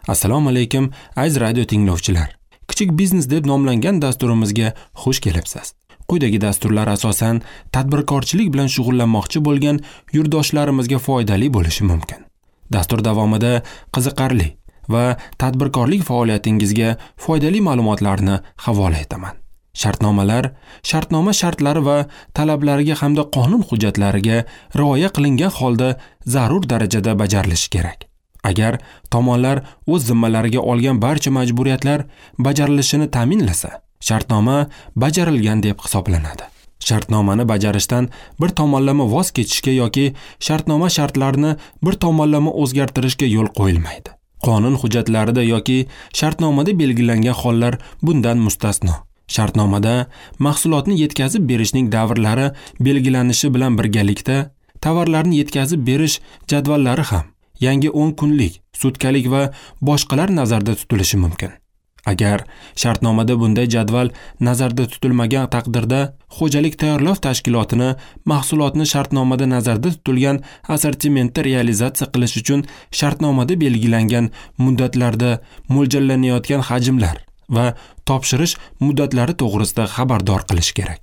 Assalomu alaykum, aziz radio tinglovchilar. Kichik biznes deb nomlangan dasturimizga xush kelibsiz. Quyidagi dasturlar asosan tadbirkorchilik bilan shug'ullanmoqchi bo'lgan yurtdoshlarimizga foydali bo'lishi mumkin. Dastur davomida qiziqarli va tadbirkorlik faoliyatingizga foydali ma'lumotlarni havola etaman. Shartnomalar, shartnoma shartlari va talablariga hamda qonun hujjatlariga rioya qilingan holda zarur darajada bajarilishi kerak. Agar tomonlar o'z zimmalariga olgan barcha majburiyatlar bajarilishini ta'minlasa, shartnoma bajarilgan deb hisoblanadi. Shartnomani bajarishdan bir tomonlama voz kechishga yoki shartnoma shartlarini bir tomonlama o'zgartirishga yo'l qo'yilmaydi. Qonun hujjatlarida yoki shartnomada belgilangan hollar bundan mustasno. Shartnomada mahsulotni yetkazib berishning davrlari belgilanishi bilan birgalikda tovarlarni yetkazib berish jadvallari ham yangi 10 kunlik, sutkalik va boshqalar nazarda tutilishi mumkin. Agar shartnomada bunday jadval nazarda tutilmagan taqdirda xo'jalik tayyorlov tashkilotini mahsulotni shartnomada nazarda tutilgan assortimentda realizatsiya qilish uchun shartnomada belgilangan muddatlarda mo'ljallanayotgan hajmlar va topshirish muddatlari to'g'risida xabardor qilish kerak.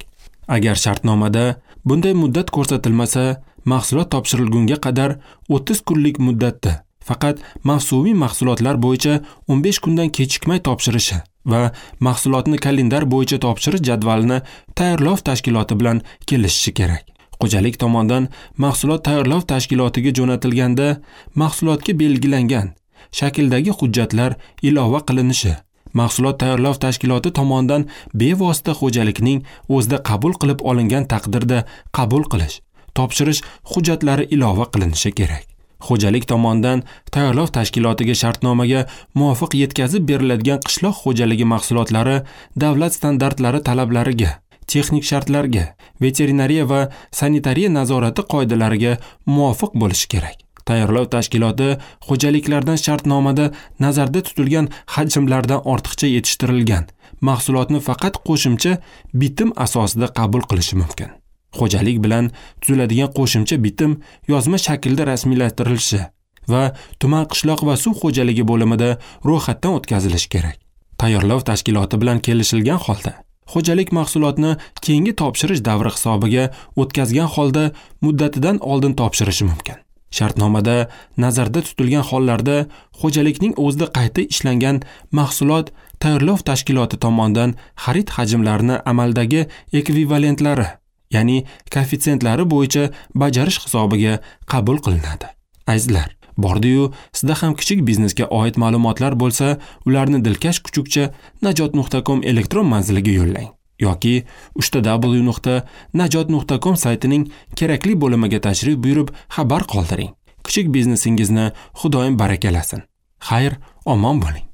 Agar shartnomada bunday muddat ko'rsatilmasa, mahsulot topshirilgunga qadar 30 kunlik muddatda faqat mavsumiy mahsulotlar bo'yicha 15 kundan kechikmay topshirishi va mahsulotni kalendar bo'yicha topshirish jadvalini tayyorlov tashkiloti bilan kelishishi kerak. Xo'jalik tomonidan mahsulot tayyorlov tashkilotiga jo'natilganda mahsulotga belgilangan shakldagi hujjatlar ilova qilinishi, mahsulot tayyorlov tashkiloti tomonidan bevosita xo'jalikning o'zida qabul qilib olingan taqdirda qabul qilish, topshirish hujjatlari ilova qilinishi kerak. Xo'jalik tomonidan tayyorlov tashkilotiga shartnomaga muvofiq yetkazib beriladigan qishloq xo'jaligi mahsulotlari davlat standartlari talablariga, texnik shartlarga, veterinariya va sanitariya nazorati qoidalariga muvofiq bo'lishi kerak. Tayyorlov tashkiloti xo'jaliklardan shartnomada nazarda tutilgan hajmlardan ortiqcha yetishtirilgan mahsulotni faqat qo'shimcha bitim asosida qabul qilishi mumkin. Xo'jalik bilan tuziladigan qo'shimcha bitim yozma shaklda rasmiylashtirilishi va tuman qishloq va suv xo'jaligi bo'limida ro'yxatdan o'tkazilishi kerak. Tayyorlov tashkiloti bilan kelishilgan holda xo'jalik mahsulotni keyingi topshirish davri hisobiga o'tkazgan holda muddatidan oldin topshirishi mumkin. Shartnomada nazarda tutilgan hollarda xo'jalikning o'zida qayta ishlangan mahsulot tayyorlov tashkiloti tomonidan xarid hajmlarini amaldagi ekvivalentlari, ya'ni koeffitsientlari bo'yicha bajarish hisobiga qabul qilinadi. Azizlar, bordi-yu sizda ham kichik biznesga oid ma'lumotlar bo'lsa, ularni dilkash kuchukcha najot.com elektron manziliga yo'llang yoki www.najot.com saytining kerakli bo'limiga tashrif buyurib xabar qoldiring. Kichik biznesingizni Xudoyim barakalasin. Xayr, omon bo'ling.